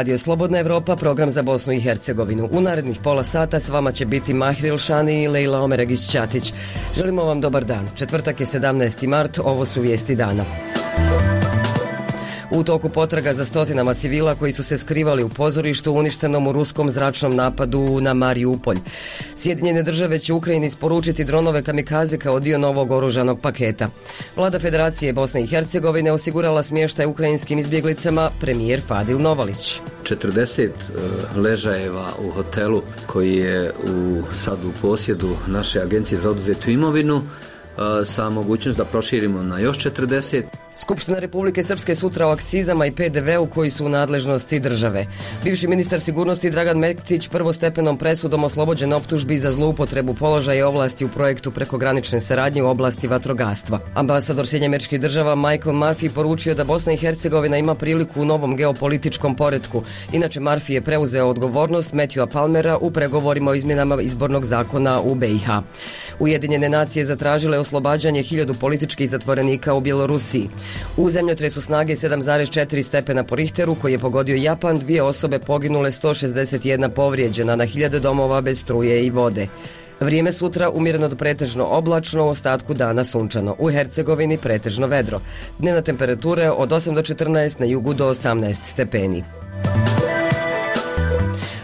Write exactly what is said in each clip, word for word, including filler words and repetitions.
Radio Slobodna Evropa, program za Bosnu i Hercegovinu. U narednih pola sata s vama će biti Mahril Šani i Lejla Omeregić-Ćatić. Želimo vam dobar dan. Četvrtak je sedamnaesti mart, ovo su vijesti dana. U toku potraga za stotinama civila koji su se skrivali u pozorištu uništenom u ruskom zračnom napadu na Mariupolj. Sjedinjene države će Ukrajini isporučiti dronove kamikaze kao dio novog oružanog paketa. Vlada Federacije Bosne i Hercegovine osigurala smještaj ukrajinskim izbjeglicama, premijer Fadil Novalić. četrdeset ležajeva u hotelu koji je u, sad u posjedu naše agencije za oduzetu imovinu, sa mogućnost da proširimo na još četrdeset. Skupština Republike Srpske sutra o akcizama i pe de veu koji su u nadležnosti države. Bivši ministar sigurnosti Dragan Mektić prvostepenom presudom oslobođen optužbi za zloupotrebu položaja i ovlasti u projektu prekogranične saradnje u oblasti vatrogastva. Ambasador Sjedinjenih Američkih Država Michael Murphy poručio da Bosna i Hercegovina ima priliku u novom geopolitičkom poretku. Inače, Murphy je preuzeo odgovornost Matthewa Palmera u pregovorima o izmjenama izbornog zakona u be i ha. Ujedinjene nacije zatražile oslobađanje hiljadu političkih zatvorenika u Bjelorusiji. U zemljotresu snage sedam zarez četiri stepena po Richteru koji je pogodio Japan, dvije osobe poginule, sto šezdeset jedna povrijeđena, na hiljade domova bez struje i vode. Vrijeme sutra umjereno do pretežno oblačno, u ostatku dana sunčano. U Hercegovini pretežno vedro. Dnevna temperatura od osam do četrnaest, na jugu do osamnaest stepeni.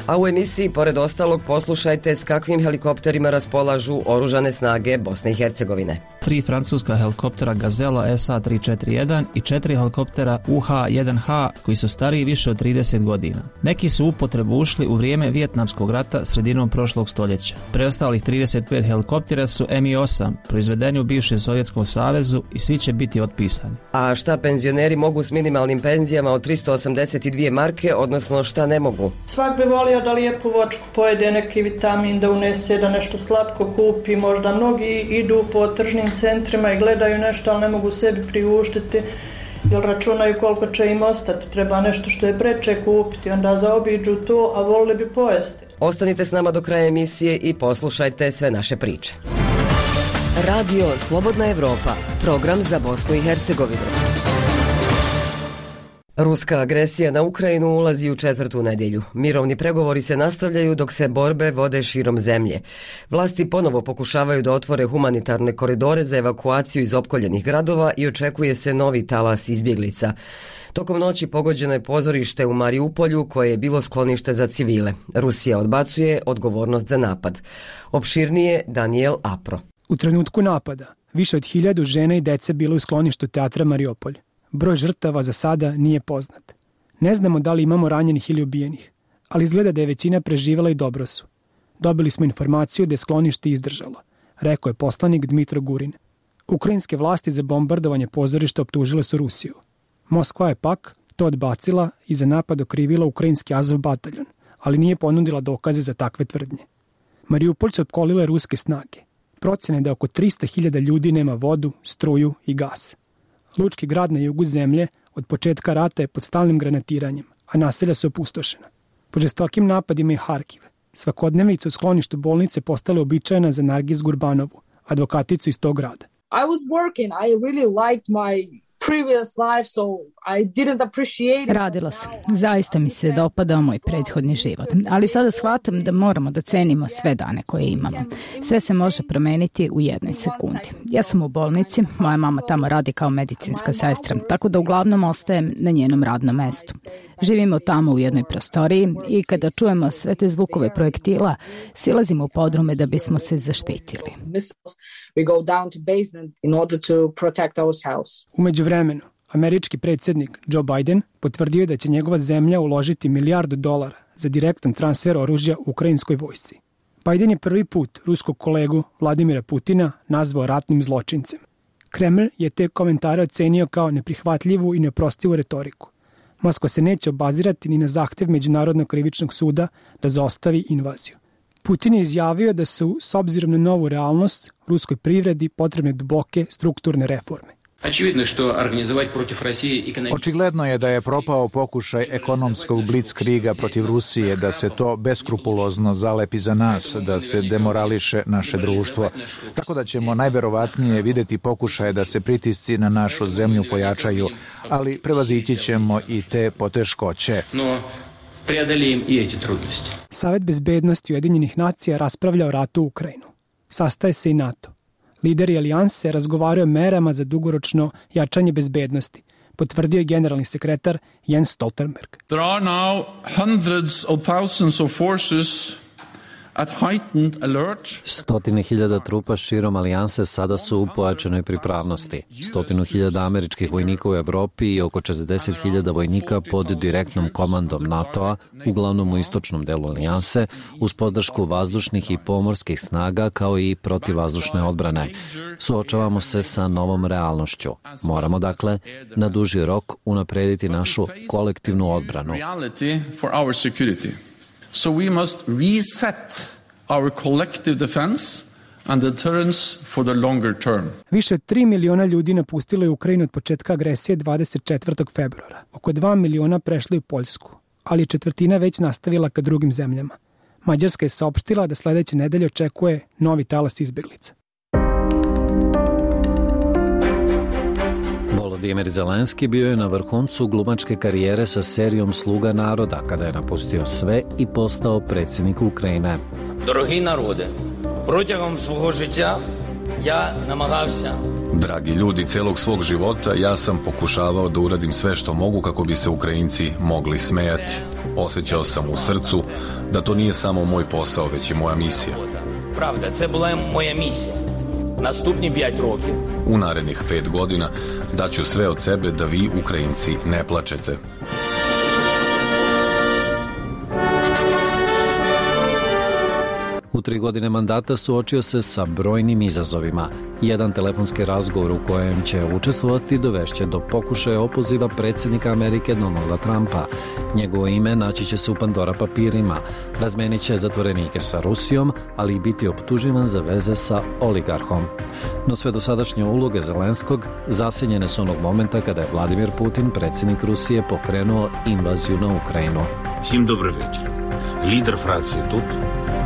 A u emisiji, pored ostalog, poslušajte s kakvim helikopterima raspolažu oružane snage Bosne i Hercegovine. Tri francuska helikoptera Gazela es a tri četiri jedan i četiri helikoptera u ha jedan ha koji su stariji više od trideset godina. Neki su u upotrebu ušli u vrijeme Vijetnamskog rata sredinom prošlog stoljeća. Preostalih trideset pet helikoptera su em i osam, proizvedeni u bivšem Sovjetskom savezu i svi će biti otpisani. A šta penzioneri mogu s minimalnim penzijama od tristo osamdeset dvije marke, odnosno šta ne mogu? Svak bi volio da lijepu vočku pojede, neki vitamin da unese, da nešto slatko kupi. Možda mnogi idu po tržnim centrima i gledaju nešto, ali ne mogu sebi priuštiti jer računaju koliko će im ostati. Treba nešto što je preče kupiti, onda zaobiđu to, a volili bi pojesti. Ostanite s nama do kraja emisije i poslušajte sve naše priče. Radio Slobodna Evropa, program za Bosnu i Hercegovinu. Ruska agresija na Ukrajinu ulazi u četvrtu nedjelju. Mirovni pregovori se nastavljaju dok se borbe vode širom zemlje. Vlasti ponovo pokušavaju da otvore humanitarne koridore za evakuaciju iz opkoljenih gradova i očekuje se novi talas izbjeglica. Tokom noći pogođeno je pozorište u Mariupolju koje je bilo sklonište za civile. Rusija odbacuje odgovornost za napad. Opširnije Daniel Apro. U trenutku napada više od hiljadu žena i dece bilo u skloništu teatra Mariupolj. Broj žrtava za sada nije poznat. Ne znamo da li imamo ranjenih ili ubijenih, ali izgleda da je većina preživala i dobro su. Dobili smo informaciju da je sklonište izdržalo, rekao je poslanik Dmitro Gurin. Ukrajinske vlasti za bombardovanje pozorišta optužile su Rusiju. Moskva je pak to odbacila i za napad okrivila ukrajinski Azov bataljon, ali nije ponudila dokaze za takve tvrdnje. Mariupolj su opkolile ruske snage. Procene da oko tristo hiljada ljudi nema vodu, struju i gas. Lučki grad na jugu zemlje od početka rata je pod stalnim granatiranjem, a naselja su opustošena. Po žestokim napadima i Harkiv, svakodnevnica u skloništu bolnice postala uobičajena za Nargis Gurbanovu, advokaticu iz tog grada. I was working, I really liked my previous life, so I didn't appreciate it. Radila sam. Zaista mi se dopadao moj prethodni život. Ali sada shvatam da moramo da cenimo sve dane koje imamo. Sve se može promeniti u jednoj sekundi. Ja sam u bolnici, moja mama tamo radi kao medicinska sestra, tako da uglavnom ostajem na njenom radnom mestu. Živimo tamo u jednoj prostoriji i kada čujemo sve te zvukove projektila, silazimo u podrume da bismo se zaštitili. We go down to basement in order to protect ourselves. U međuvremenu, američki predsjednik Joe Biden potvrdio je da će njegova zemlja uložiti milijardu dolara za direktan transfer oružja ukrajinskoj vojsci. Biden je prvi put ruskog kolegu Vladimira Putina nazvao ratnim zločincem. Kreml je te komentare ocenio kao neprihvatljivu i neoprostivu retoriku. Moskva se neće obazirati ni na zahtjev Međunarodnog krivičnog suda da zaustavi invaziju. Putin je izjavio da su, s obzirom na novu realnost, ruskoj privredi potrebne duboke strukturne reforme. Očigledno je da je propao pokušaj ekonomskog blitzkriga protiv Rusije, da se to beskrupulozno zalepi za nas, da se demorališe naše društvo. Tako da ćemo najverovatnije vidjeti pokušaje da se pritisci na našu zemlju pojačaju, ali prevazići ćemo i te poteškoće. преодолеем и эти трудности. Savet bezbednosti Ujedinjenih nacija raspravlja o ratu u Ukrajinu. Sastaje se i NATO. Lideri alijanse razgovaraju o merama za dugoročno jačanje bezbednosti, potvrdio je generalni sekretar Jens Stoltenberg. There are now hundreds of thousands of forces at heightened alert. Stotine hiljada trupa širom alijanse sada su u pojačanoj pripravnosti. Stotinu hiljada američkih vojnika u Evropi i oko četrdeset hiljada vojnika pod direktnom komandom NATO-a, uglavnom u istočnom delu alijanse, uz podršku vazdušnih i pomorskih snaga kao i protivvazdušne odbrane. Suočavamo se sa novom realnošću. Moramo, dakle, na duži rok unaprediti našu kolektivnu odbranu. So we must reset our collective defense and deterrence for the longer term. Više od tri miliona ljudi napustilo je Ukrajinu od početka agresije dvadeset četvrtog februara. Oko dva miliona prešli u Poljsku, ali je četvrtina već nastavila ka drugim zemljama. Mađarska je saopštila da sledeće nedelje očekuje novi talas izbeglica. Volodimir Zelenski bio je na vrhuncu glumačke karijere sa serijom Sluga naroda, kada je napustio sve i postao predsjednik Ukrajine. Дорогі народи, протягом свого життя я намагався. Dragi ljudi, celog svog života ja sam pokušavao da uradim sve što mogu kako bi se Ukrajinci mogli smejati. Osjećao sam u srcu da to nije samo moj posao, već i moja misija. Правда, це була моя місія. Наступні п'ять років. U narednih pet godina daću sve od sebe da vi, Ukrajinci, ne plačete. U tri godine mandata suočio se sa brojnim izazovima. Jedan telefonski razgovor u kojem će učestvovati dovešće do pokušaja opoziva predsjednika Amerike Donalda Trumpa. Njegovo ime naći će se u Pandora papirima. Razmenit će zatvorenike sa Rusijom, ali i biti optuživan za veze sa oligarhom. No sve dosadašnje uloge Zelenskog zasjenjene su onog momenta kada je Vladimir Putin, predsjednik Rusije, pokrenuo invaziju na Ukrajinu. Svim dobro večer. Lider frakcije tut,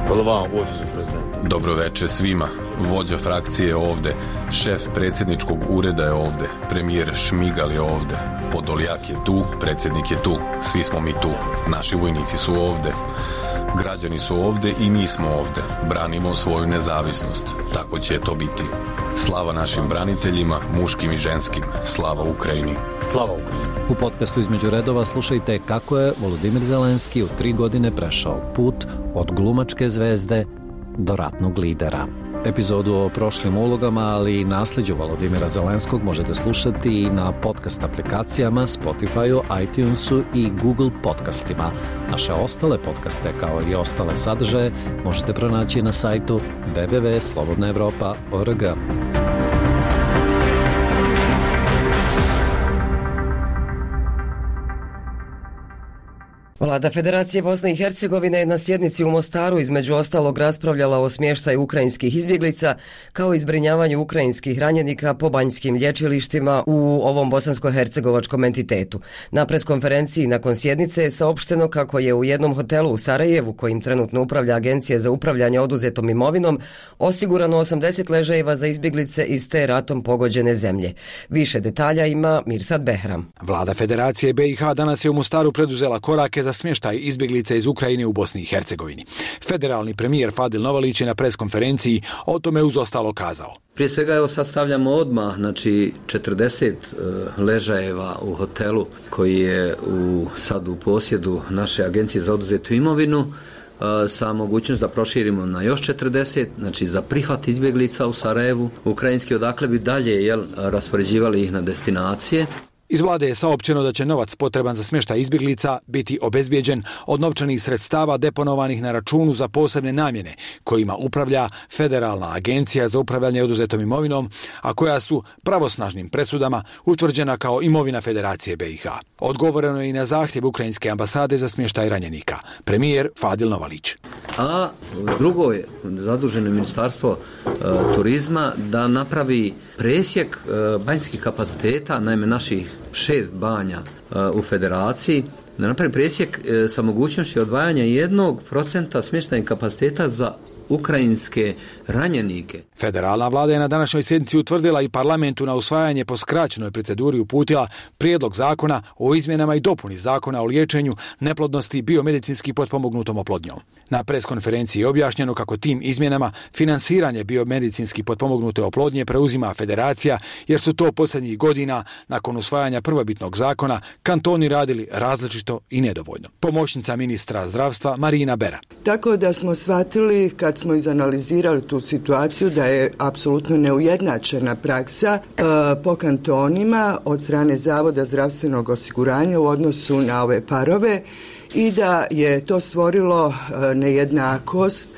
голова офісу президента. Dobro veče svima. Vođa frakcije je ovde, šef predsjedničkog ureda je ovde, premijer Šmigal je ovde, Podoljak je tu, predsjednik je tu, svi smo mi tu, naši vojnici su ovde, građani su ovde i mi smo ovde, branimo svoju nezavisnost, tako će to biti. Slava našim braniteljima, muškim i ženskim, slava Ukrajini. Slava Ukrajini. U podcastu Između redova slušajte kako je Volodimir Zelenski u tri godine prešao put od glumačke zvezde do ratnog lidera. Epizodu o prošlim ulogama, ali i nasljeđu Volodimira Zelenskog možete slušati i na podcast aplikacijama, Spotifyu, iTunesu i Google podcastima. Naše ostale podcaste, kao i ostale sadržaje, možete pronaći na sajtu w w w tačka slobodna evropa tačka org. Vlada Federacije Bosne i Hercegovine je na sjednici u Mostaru između ostalog raspravljala o smještaju ukrajinskih izbjeglica kao i zbrinjavanju ukrajinskih ranjenika po banjskim lječilištima u ovom bosansko-hercegovačkom entitetu. Na preskonferenciji nakon sjednice je saopšteno kako je u jednom hotelu u Sarajevu, kojim trenutno upravlja Agencija za upravljanje oduzetom imovinom, osigurano osamdeset ležajeva za izbjeglice iz te ratom pogođene zemlje. Više detalja ima Mirsad Behram. Vlada Federacije B i H danas je u Mostaru preduzela korake za smještaj izbjeglica iz Ukrajine u Bosni i Hercegovini. Federalni premijer Fadil Novalić je na preskonferenciji o tome uz ostalo kazao. Prije svega evo sastavljamo odmah znači četrdeset uh, ležajeva u hotelu koji je u, sad u posjedu naše Agencije za oduzetu imovinu uh, sa mogućnost da proširimo na još četrdeset, znači za prihvat izbjeglica u Sarajevu, ukrajinski, odakle bi dalje jel, raspoređivali ih na destinacije. Iz vlade je saopćeno da će novac potreban za smještaj izbjeglica biti obezbijeđen od novčanih sredstava deponovanih na računu za posebne namjene kojima upravlja Federalna agencija za upravljanje oduzetom imovinom, a koja su pravosnažnim presudama utvrđena kao imovina Federacije B i H. Odgovoreno je i na zahtjev Ukrajinske ambasade za smještaj ranjenika. Premijer Fadil Novalić. A drugo je zaduženo ministarstvo e, turizma da napravi presjek e, banjskih kapaciteta, naime naših šest banja e, u federaciji, da napravi presjek e, sa mogućnošću odvajanja jednog procenta smještajnih kapaciteta za ukrajinske ranjenike. Federalna vlada je na današnjoj sjednici utvrdila i parlamentu na usvajanje po skraćenoj proceduri uputila prijedlog zakona o izmjenama i dopuni zakona o liječenju neplodnosti i biomedicinski potpomognutom oplodnjom. Na preskonferenciji je objašnjeno kako tim izmjenama finansiranje biomedicinski potpomognute oplodnje preuzima federacija, jer su to posljednjih godina nakon usvajanja prvobitnog zakona kantoni radili različito i nedovoljno. Pomoćnica ministra zdravstva Marina Bera. Tako da smo shvatili kad smo izanalizirali tu situaciju da je apsolutno neujednačena praksa e, po kantonima od strane Zavoda zdravstvenog osiguranja u odnosu na ove parove i da je to stvorilo e, nejednakost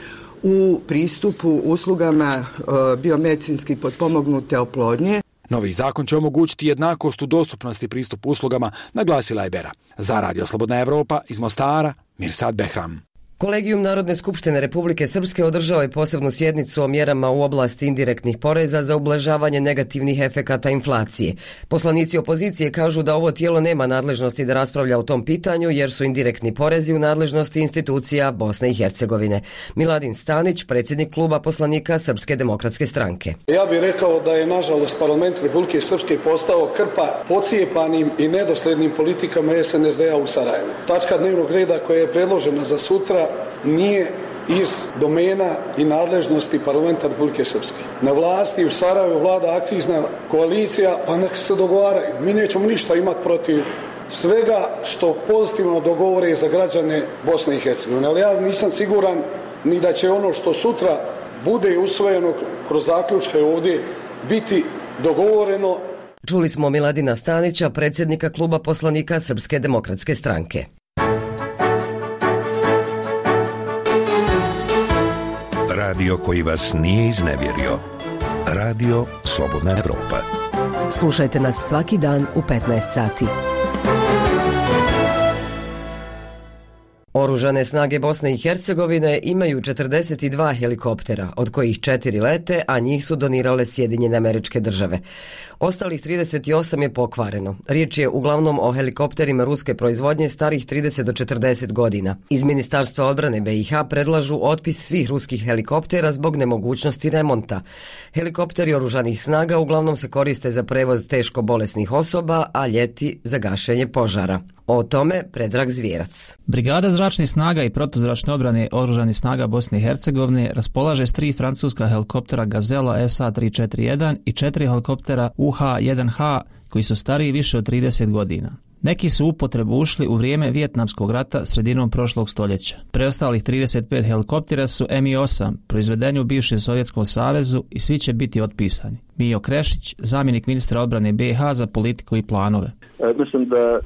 u pristupu uslugama e, biomedicinski potpomognute oplodnje. Novi zakon će omogućiti jednakost u dostupnosti pristupu uslugama, naglasila je Bera. Za Radio Slobodna Evropa iz Mostara, Mirsad Behram. Kolegijum Narodne skupštine Republike Srpske održao je posebnu sjednicu o mjerama u oblasti indirektnih poreza za ublažavanje negativnih efekata inflacije. Poslanici opozicije kažu da ovo tijelo nema nadležnosti da raspravlja o tom pitanju jer su indirektni porezi u nadležnosti institucija Bosne i Hercegovine. Miladin Stanić, predsjednik kluba poslanika Srpske demokratske stranke. Ja bih rekao da je nažalost parlament Republike Srpske postao krpa pocijepanim i nedosljednim politikama es en es de a u Sarajevu. Tačka dnevnog reda koja je predložena za sutra nije iz domena i nadležnosti parlamenta Republike Srpske. Na vlasti u Sarajevu vlada akcizna koalicija, pa nek se dogovaraju. Mi nećemo ništa imati protiv svega što pozitivno dogovore za građane Bosne i Hercegovine. Ali ja nisam siguran ni da će ono što sutra bude usvojeno kroz zaključke ovdje biti dogovoreno. Čuli smo Miladina Stanića, predsjednika kluba poslanika Srpske demokratske stranke. Radio koji vas nije iznevjerio. Radio Slobodna Evropa. Slušajte nas svaki dan u petnaest sati. Oružane snage Bosne i Hercegovine imaju četrdeset dva helikoptera, od kojih četiri lete, a njih su donirale Sjedinjene Američke Države. Ostalih trideset osam je pokvareno. Riječ je uglavnom o helikopterima ruske proizvodnje starih trideset do četrdeset godina. Iz Ministarstva odbrane be i ha predlažu otpis svih ruskih helikoptera zbog nemogućnosti remonta. Helikopteri oružanih snaga uglavnom se koriste za prevoz teško bolesnih osoba, a ljeti za gašenje požara. O tome Predrag Zvijerac. Brigada zračnih snaga i protuzračne odbrane oružanih snaga Bosne i Hercegovine raspolaže s tri francuska helikoptera Gazela es a tri četiri jedan i četiri helikoptera u ha jedan ha koji su stariji više od trideset godina. Neki su u upotrebu ušli u vrijeme Vijetnamskog rata sredinom prošlog stoljeća. Preostalih trideset pet helikoptera su em i osam, proizvedeni u bivšem Sovjetskom savezu i svi će biti otpisani. Mijo Krešić, zamjenik ministra odbrane be i ha za politiku i planove. E, mislim da e,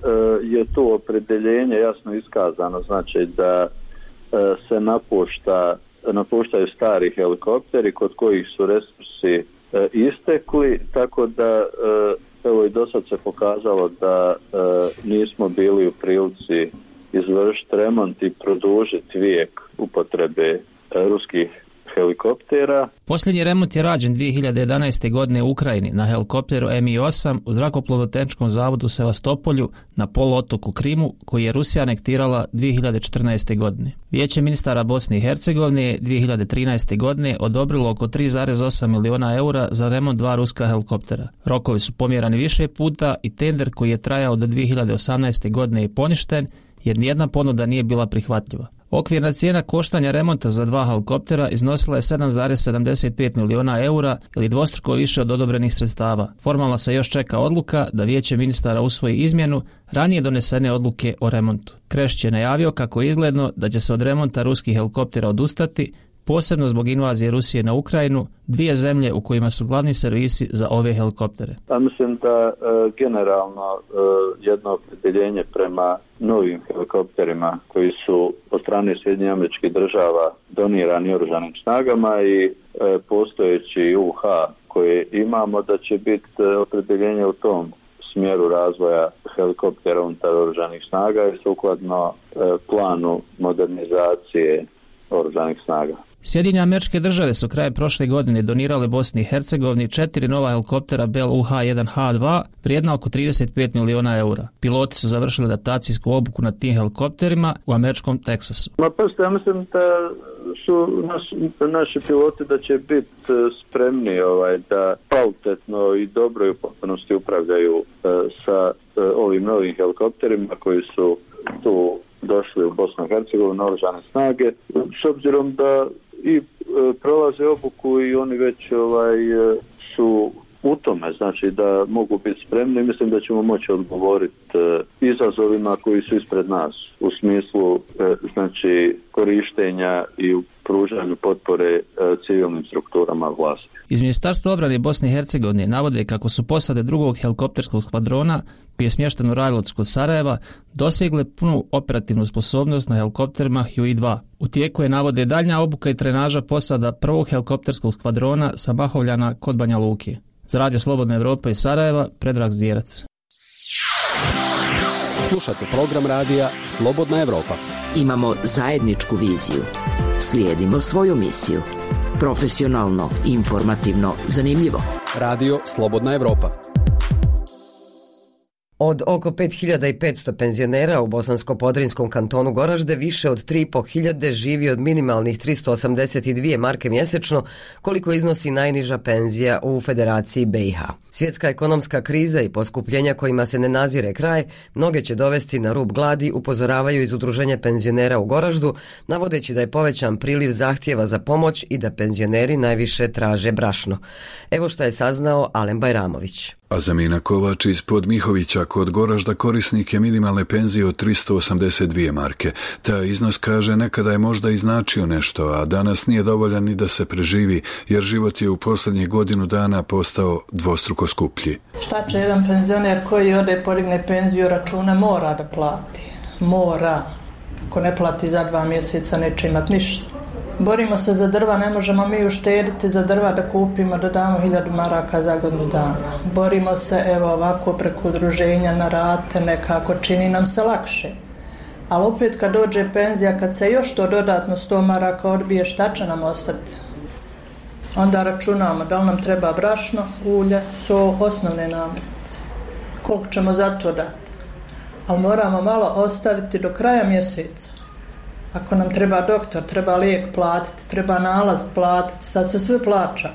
je to opredeljenje jasno iskazano, znači da e, se napušta, napuštaju stari helikopteri kod kojih su resursi e, istekli, tako da e, evo i do sad se pokazalo da e, nismo bili u prilici izvršiti remont i produžiti vijek upotrebe e, ruskih helikoptera. Posljednji remont je rađen dvije hiljade jedanaeste. godine u Ukrajini na helikopteru em i osam u zrakoplovno-tehničkom zavodu u Sevastopolju na poluotoku Krimu, koji je Rusija anektirala dvije hiljade četrnaeste. godine. Vijeće ministara Bosne i Hercegovine je dvije hiljade trinaeste. godine odobrilo oko tri zarez osam miliona eura za remont dva ruska helikoptera. Rokovi su pomjerani više puta i tender koji je trajao do dvije hiljade osamnaeste. godine je poništen jer nijedna ponuda nije bila prihvatljiva. Okvirna cijena koštanja remonta za dva helikoptera iznosila je sedam zarez sedamdeset pet miliona eura ili dvostruko više od odobrenih sredstava. Formalno se još čeka odluka da vijeće ministara usvoji izmjenu ranije donesene odluke o remontu. Krešić je najavio kako je izgledno da će se od remonta ruskih helikoptera odustati, posebno zbog invazije Rusije na Ukrajinu, dvije zemlje u kojima su glavni servisi za ove helikoptere. Ja mislim da e, generalno e, jedno opredeljenje prema novim helikopterima koji su od strane Sjedinjenih Američkih Država donirani oružanim snagama i e, postojeći u ha koje imamo, da će biti e, opredeljenje u tom smjeru razvoja helikoptera unutar oružanih snaga i sukladno e, planu modernizacije oružanih snaga. Sjedinjene Američke Države su krajem prošle godine donirale Bosni i Hercegovini četiri nova helikoptera Bell U H jedan H dva vrijedna oko trideset pet miliona eura. Piloti su završili adaptacijsku obuku na tim helikopterima u američkom Teksasu. Ma pa ja mislim da su naš, naši piloti da će biti spremni ovaj, da kvalitetno i dobro i u potpunosti upravljaju uh, sa uh, ovim novim helikopterima koji su tu došli u Bosnu i Hercegovinu, oružane snage, s obzirom da i e, prolaze obuku i oni već ovaj, e, su u tome, znači da mogu biti spremni. Mislim da ćemo moći odgovoriti e, izazovima koji su ispred nas u smislu e, znači korištenja i u pružanju potpore e, civilnim strukturama vlasti. Iz Ministarstva obrane Bosne i Hercegovine navode kako su posade drugog helikopterskog skvadrona, koji je smješten u Rajlovcu kod Sarajeva, dosegle punu operativnu sposobnost na helikopterima Huey dva. U tijeku je, navode, daljnja obuka i trenaža posada prvog helikopterskog skvadrona sa Mahovljana kod Banja Luke. Za Radio Slobodna Evropa iz Sarajeva, Predrag Zvijerac. Slušate program radija Slobodna Evropa. Imamo zajedničku viziju. Slijedimo svoju misiju. Profesionalno, informativno, zanimljivo. Radio Slobodna Evropa. Od oko pet hiljada petsto penzionera u bosansko-podrinskom kantonu Goražde više od tri i po hiljade živi od minimalnih tristo osamdeset dvije marke mjesečno, koliko iznosi najniža penzija u Federaciji B i H. Svjetska ekonomska kriza i poskupljenja kojima se ne nazire kraj mnoge će dovesti na rub gladi, upozoravaju iz Udruženja penzionera u Goraždu, navodeći da je povećan priliv zahtjeva za pomoć i da penzioneri najviše traže brašno. Evo što je saznao Alen Bajramović. Azamina Kovač iz Podmihovića kod Goražda korisnik je minimalne penzije od tristo osamdeset dvije marke. Taj iznos, kaže, nekada je možda i značio nešto, a danas nije dovoljan ni da se preživi, jer život je u posljednjih godinu dana postao dvostruko skuplji. Šta će jedan penzioner koji ode podigne penziju, račune mora da plati? Mora. Ako ne plati za dva mjeseca neće imati ništa. Borimo se za drva, ne možemo mi uštediti za drva da kupimo, da damo hiljadu maraka za godinu dana. Borimo se, evo ovako, preko udruženja na rate, nekako čini nam se lakše. Ali opet kad dođe penzija, kad se još to dodatno sto maraka odbije, šta će nam ostati? Onda računamo da li nam treba brašno, ulje, so, osnovne namirnice. Koliko ćemo za to dati? Ali moramo malo ostaviti do kraja mjeseca. Ako nam treba doktor, treba lijek platiti, treba nalaz platiti, sad se sve plaća.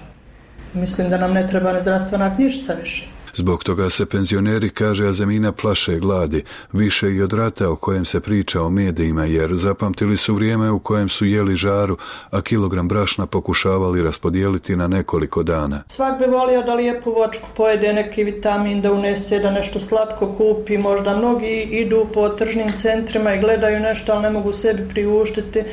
Mislim da nam ne treba ni zdravstvena knjižica više. Zbog toga se penzioneri, kaže Azamina, plaše gladi, više i od rata o kojem se priča o medijima, jer zapamtili su vrijeme u kojem su jeli žaru, a kilogram brašna pokušavali raspodijeliti na nekoliko dana. Svak bi volio da lijepu vočku pojede, neki vitamin da unese, da nešto slatko kupi, možda mnogi idu po tržnim centrima i gledaju nešto, ali ne mogu sebi priuštiti,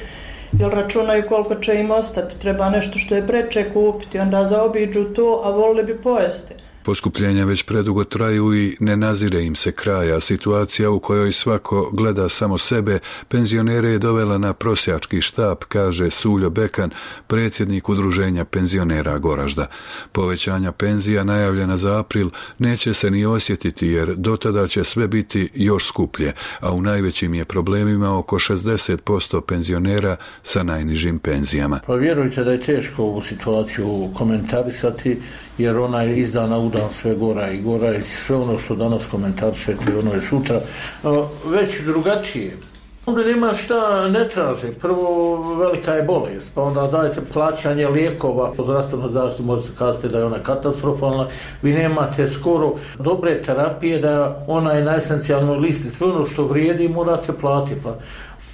jer računaju koliko će im ostati, treba nešto što je preče kupiti, onda zaobiđu to, a volili bi pojesti. Poskupljenja već predugo traju i ne nazire im se kraja. Situacija u kojoj svako gleda samo sebe, penzionere je dovela na prosjački štap, kaže Suljo Bekan, predsjednik Udruženja penzionera Goražda. Povećanja penzija najavljena za april neće se ni osjetiti, jer dotada će sve biti još skuplje, a u najvećim je problemima oko šezdeset posto penzionera sa najnižim penzijama. Pa vjerujte da je teško ovu situaciju komentarisati, jer ona je iz dana u dan sve gora i gora i sve ono što danas komentarišete, ono je sutra već drugačije. Onda nema šta ne traže. Prvo, velika je bolest, pa onda dajete plaćanje lijekova. Po zdravstvenoj zaštiti možete kazati da je ona katastrofalna. Vi nemate skoro dobre terapije, da ona je na esencijalnoj listi. Sve ono što vrijedi morate platiti. Pa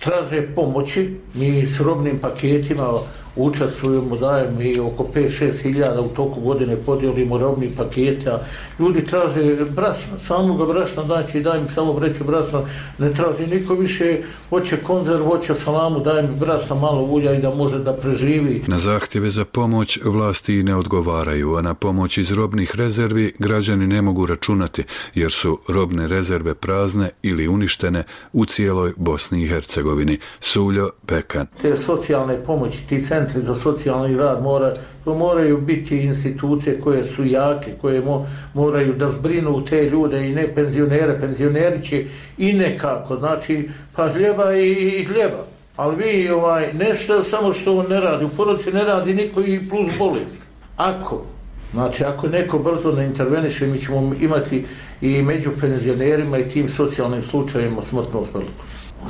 traže pomoći, mi s robnim paketima učestvujemo, dajemo i oko pet do šest hiljada u toku godine podijelimo robni pakete, a ljudi traže brašna, samoga brašna, znači daj mi samo vreću brašna, ne traži niko više, hoće konzerv, hoće salamu, daj mi brašna, malo ulja i da može da preživi. Na zahtjeve za pomoć vlasti ne odgovaraju, a na pomoć iz robnih rezervi građani ne mogu računati, jer su robne rezerve prazne ili uništene u cijeloj Bosni i Hercegovini. Suljo Bekan. Te socijalne pomoći, ti centri za socijalni rad mora, to moraju biti institucije koje su jake, koje mo, moraju da zbrinu te ljude i ne penzionere. Penzioneri će i nekako, znači, pa hljeba i, i hljeba. Ali vi ovaj, nešto samo što on ne radi, u porodici ne radi niko i plus bolest. Ako, znači ako neko brzo ne interveniše, mi ćemo imati i među penzionerima i tim socijalnim slučajima smrtnost veliku.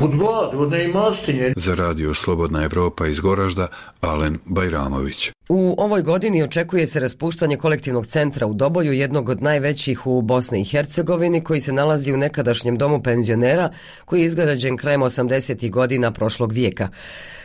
Od gladi, od neimaštinje. Za radio Slobodna Evropa iz Goražda, Alen Bajramović. U ovoj godini očekuje se raspuštanje kolektivnog centra u Doboju, jednog od najvećih u Bosni i Hercegovini, koji se nalazi u nekadašnjem domu penzionera, koji je izgrađen krajem osamdesetih godina prošlog vijeka.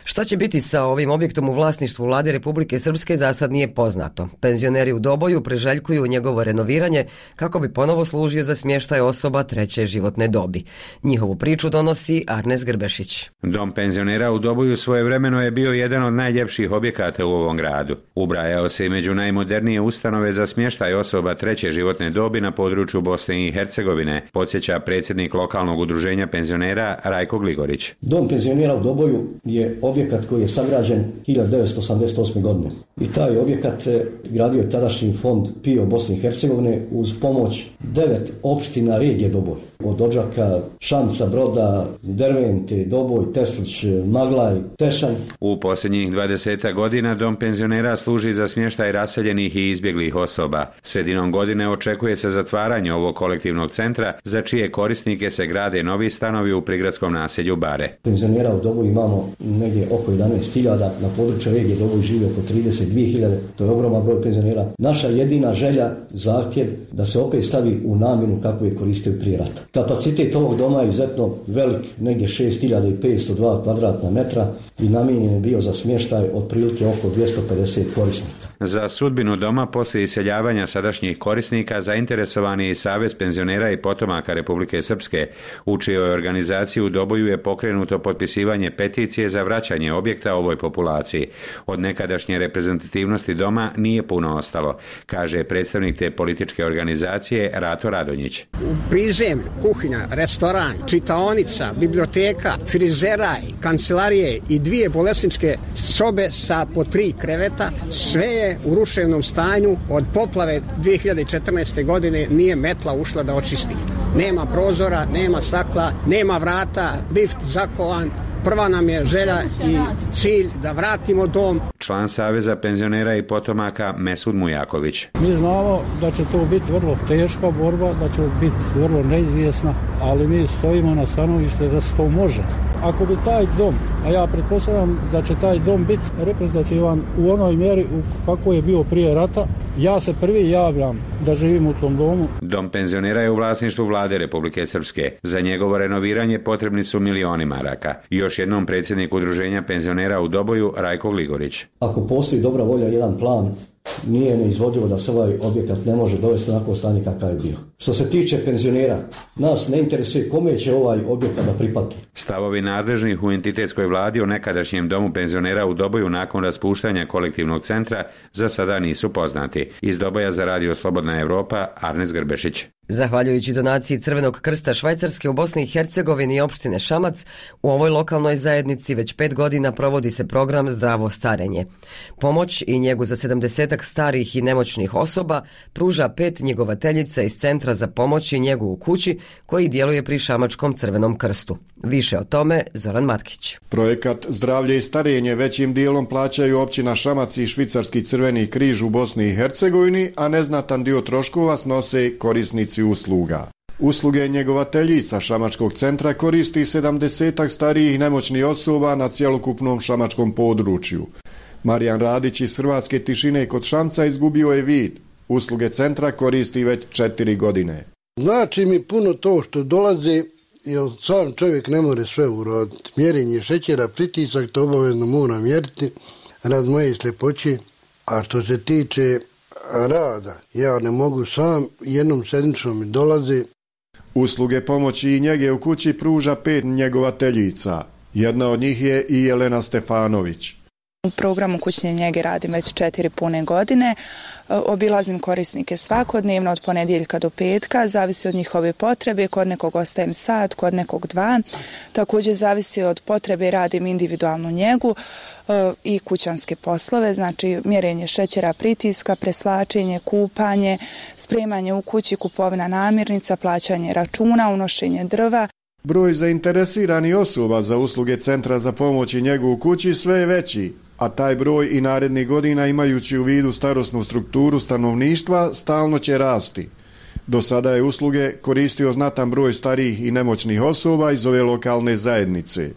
Šta će biti sa ovim objektom u vlasništvu Vlade Republike Srpske za sad nije poznato. Penzioneri u Doboju priželjkuju njegovo renoviranje kako bi ponovo služio za smještaj osoba treće životne dobi. Njihovu priču donosi Arnes Grbešić. Dom penzionera u Doboju svojevremeno je bio jedan od najljepših objekata u ovom gradu. Ubrajao se i među najmodernije ustanove za smještaj osoba treće životne dobi na području Bosne i Hercegovine, podsjeća predsjednik lokalnog udruženja penzionera Rajko Gligorić. Dom penzionera u Doboju je objekat koji je sagrađen hiljadu devetsto osamdeset osme. godine. I taj objekat gradio je tadašnji fond P I O Bosne i Hercegovine uz pomoć devet opština regije Doboj. Od Odžaka, Šamca, Broda, Dervente, Doboj, Teslić, Maglaj, Tešanj. U posljednjih dvadeset godina dom penzionera služi za smještaj raseljenih i izbjeglih osoba. Sredinom godine očekuje se zatvaranje ovog kolektivnog centra, za čije korisnike se grade novi stanovi u prigradskom naselju Bare. Penzionera u Doboju imamo negdje oko jedanaest hiljada, na području regije Doboj živi oko trideset dvije hiljade, to je ogroman broj penzionera. Naša jedina želja, zahtjev da se opet stavi u namjenu kako je koristio prije rata. Kapacitet ovog doma je izuzetno velik, negdje šest hiljada petsto dva kvadratna metra i namijenjen je bio za smještaj otprilike oko dvjesto pedeset korisnika. Za sudbinu doma poslije iseljavanja sadašnjih korisnika zainteresovani je i Savez penzionera i potomaka Republike Srpske, u čijoj organizaciji u Doboju je pokrenuto potpisivanje peticije za vraćanje objekta ovoj populaciji. Od nekadašnje reprezentativnosti doma nije puno ostalo, kaže predstavnik te političke organizacije Rato Radonjić. U prizemlju, kuhinja, restoran, čitaonica, biblioteka, frizeraj, kancelarije i dvije bolesničke sobe sa po tri kreveta, sve je u ruševnom stanju. Od poplave dvije hiljade četrnaeste. godine nije metla ušla da očisti. Nema prozora, nema stakla, nema vrata, lift zakovan. Prva nam je želja i cilj da vratimo dom. Član Saveza penzionera i potomaka Mesud Mujaković. Mi znamo da će to biti vrlo teška borba, da će biti vrlo neizvjesna, ali mi stojimo na stanovište da se to može. Ako bi taj dom, a ja pretpostavljam da će taj dom biti reprezentativan u onoj mjeri u kako je bio prije rata, ja se prvi javljam da živim u tom domu. Dom penzionera je u vlasništvu Vlade Republike Srpske. Za njegovo renoviranje potrebni su milioni maraka. Još jednom predsjednik udruženja penzionera u Doboju Rajko Gligorić. Ako postoji dobra volja, jedan plan, nije neizvodivo da se ovaj objekat ne može dovesti onako stanje kakav je bio. Što se tiče penzionera, nas ne interesuje kome će ovaj objekat da pripati. Stavovi nadležnih u entitetskoj vladi o nekadašnjem domu penzionera u Doboju nakon raspuštanja kolektivnog centra za sada nisu poznati. Iz Doboja za radio Slobodna Evropa, Arnes Grbešić. Zahvaljujući donaciji Crvenog krsta Švajcarske u Bosni i Hercegovini i opštine Šamac, u ovoj lokalnoj zajednici već pet godina provodi se program Zdravo starenje. Pomoć i njegu za sedamdesetak starih i nemoćnih osoba pruža pet njegovateljica iz Centra za pomoć i njegu u kući, koji djeluje pri Šamačkom Crvenom krstu. Više o tome Zoran Matkić. Projekat Zdravlje i starenje većim dijelom plaćaju općina Šamac i Švicarski Crveni križ u Bosni i Hercegovini, a neznatan dio troškova snose korisnici usluga. Usluge njegovateljica Šamačkog centra koristi sedamdesetak starijih i nemoćnih osoba na cjelokupnom šamačkom području. Marijan Radić iz Hrvatske Tišine kod Šamca izgubio je vid. Usluge centra koristi već četiri godine. Znači mi puno to što dolaze, jer sam čovjek ne more sve uraditi. Mjerenje šećera, pritisak, to obavezno mora mjeriti rad moje sljepoće. A što se tiče rada, ja ne mogu sam, jednom sedmicom mi dolaze. Usluge pomoći i njege u kući pruža pet njegovateljica. Jedna od njih je i Jelena Stefanović. U programu kućne njege radim već četiri pune godine. Obilazim korisnike svakodnevno od ponedjeljka do petka, zavisi od njihove potrebe, kod nekog ostajem sat, kod nekog dva. Također zavisi od potrebe, radim individualnu njegu i kućanske poslove, znači mjerenje šećera, pritiska, preslačenje, kupanje, spremanje u kući, kupovina namirnica, plaćanje računa, unošenje drva. Broj zainteresiranih osoba za usluge Centra za pomoć i njegu u kući sve je veći, a taj broj i narednih godina, imajući u vidu starosnu strukturu stanovništva, stalno će rasti. Do sada je usluge koristio znatan broj starijih i nemoćnih osoba iz ove lokalne zajednice.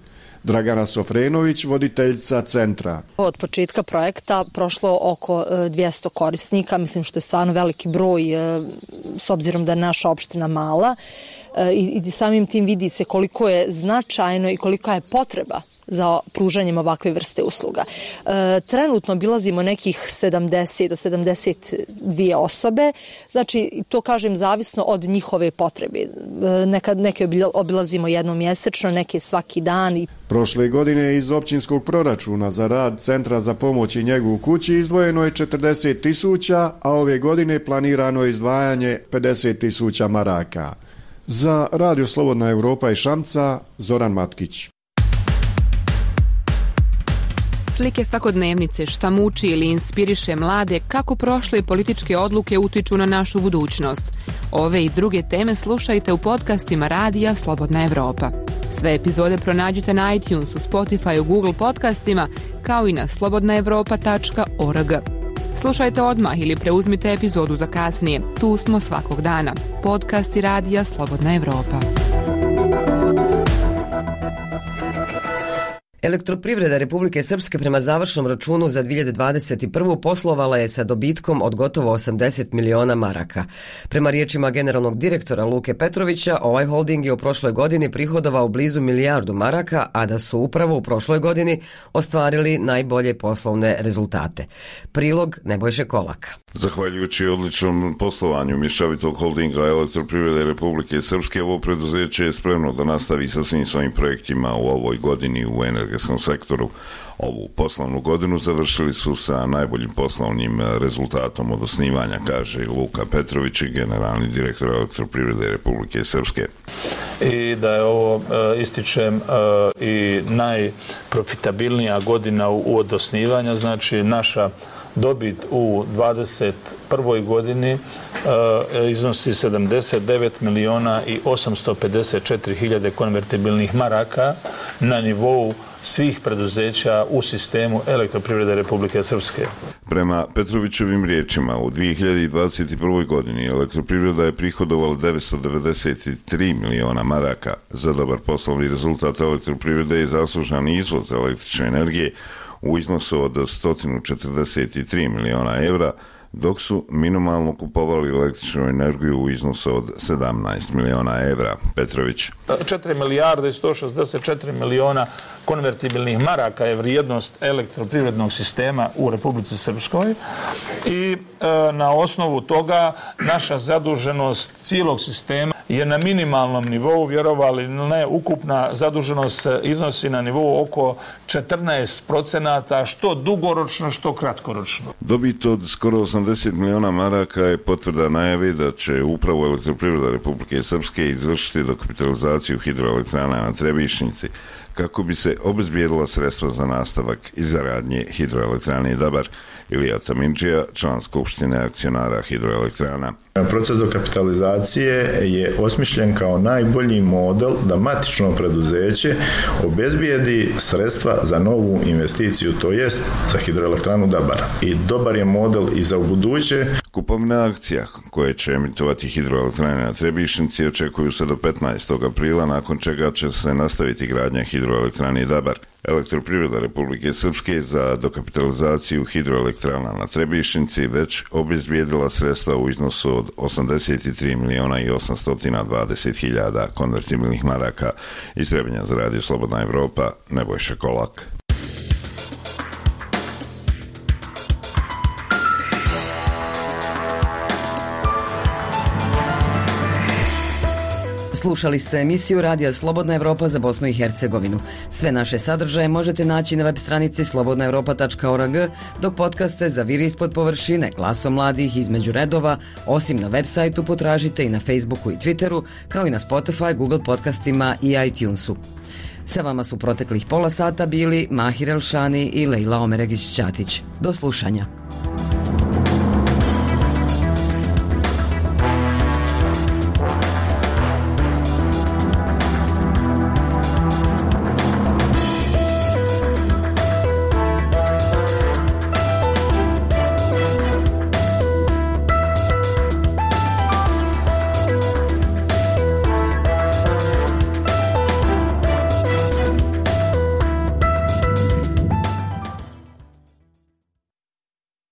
Dragana Sofrenović, voditeljica centra. Od početka projekta prošlo oko dvjesto korisnika, mislim što je stvarno veliki broj s obzirom da je naša opština mala i, i samim tim vidi se koliko je značajno i kolika je potreba za pružanjem ovakve vrste usluga. E, trenutno obilazimo nekih sedamdeset do sedamdeset dvije osobe, znači to kažem zavisno od njihove potrebe. E, nekad neke obilazimo jednom mjesečno, neke svaki dan. Prošle godine iz općinskog proračuna za rad Centra za pomoć i njegu u kući izdvojeno je četrdeset tisuća, a ove godine planirano je izdvajanje pedeset tisuća maraka. Za Radio Slobodna Evropa i Šamca, Zoran Matkić. Slike svakodnevnice, šta muči ili inspiriše mlade, kako prošle političke odluke utiču na našu budućnost. Ove i druge teme slušajte u podcastima Radija Slobodna Evropa. Sve epizode pronađite na iTunesu, Spotifyu, Google podcastima, kao i na slobodna evropa tačka org. Slušajte odmah ili preuzmite epizodu za kasnije. Tu smo svakog dana. Podcasti Radija Slobodna Evropa. Elektroprivreda Republike Srpske prema završnom računu za dvije hiljade dvadeset prvu poslovala je sa dobitkom od gotovo osamdeset miliona maraka. Prema riječima generalnog direktora Luke Petrovića, ovaj holding je u prošloj godini prihodovao blizu milijardu maraka, a da su upravo u prošloj godini ostvarili najbolje poslovne rezultate. Prilog Nebojše Kolaka. Zahvaljujući odličnom poslovanju mješovitog holdinga Elektroprivrede Republike Srpske, ovo preduzeće je spremno da nastavi sa svim svojim projektima u ovoj godini u energetskom sektoru. Ovu poslovnu godinu završili su sa najboljim poslovnim rezultatom od osnivanja, kaže Luka Petrović, generalni direktor Elektroprivrede Republike Srpske. I da je ovo, ističem, i najprofitabilnija godina od osnivanja, znači naša dobit u dvadeset prvoj godini uh, iznosi sedamdeset devet miliona i osamsto pedeset četiri hiljade konvertibilnih maraka na nivou svih preduzeća u sistemu Elektroprivrede Republike Srpske. Prema Petrovićevim riječima, u dvije hiljade dvadeset prvoj godini Elektroprivreda je prihodovala devetsto devedeset tri miliona maraka. Za dobar poslovni rezultat Elektroprivrede je zaslužan izvoz električne energije u iznosu od sto četrdeset tri miliona evra, dok su minimalno kupovali električnu energiju u iznosu od sedamnaest miliona evra. Petrović. četiri milijarde i sto šezdeset četiri miliona konvertibilnih maraka je vrijednost elektroprivrednog sistema u Republici Srpskoj i e, na osnovu toga naša zaduženost cijelog sistema je na minimalnom nivou, vjerovali ne, ukupna zaduženost iznosi na nivou oko četrnaest procenata, što dugoročno, što kratkoročno. Dobit od skoro osamdeset miliona maraka je potvrda najave da će upravo Elektroprivreda Republike Srpske izvršiti dokapitalizaciju hidroelektrana na Trebišnjici, kako bi se obezbijedila sredstva za nastavak izgradnje hidroelektrane Dabar. Ilija Tamindžija, član Skupštine akcionara hidroelektrana. Proces dokapitalizacije je osmišljen kao najbolji model da matično preduzeće obezbijedi sredstva za novu investiciju, to jest za hidroelektranu Dabar. I dobar je model i za ubuduće. Kupovna akcija koje će emitovati hidroelektrane na Trebišnjici očekuju se do petnaestog aprila, nakon čega će se nastaviti gradnja hidroelektrane Dabar. Elektroprivreda Republike Srpske za dokapitalizaciju hidroelektrana na Trebišnjici već obezbijedila sredstva u iznosu od osamdeset tri miliona i osamsto dvadeset hiljada konvertibilnih maraka. Iz Trebinja za Radio Slobodna Evropa, Nebojša Kolak. Slušali ste emisiju Radija Slobodna Evropa za Bosnu i Hercegovinu. Sve naše sadržaje možete naći na web stranici slobodna evropa tačka org, dok podcaste za Viri ispod površine, Glasom mladih, Između redova, osim na web sajtu potražite i na Facebooku i Twitteru, kao i na Spotify, Google podcastima i iTunesu. Sa vama su proteklih pola sata bili Mahir Elšani i Lejla Omeregić-Ćatić. Do slušanja.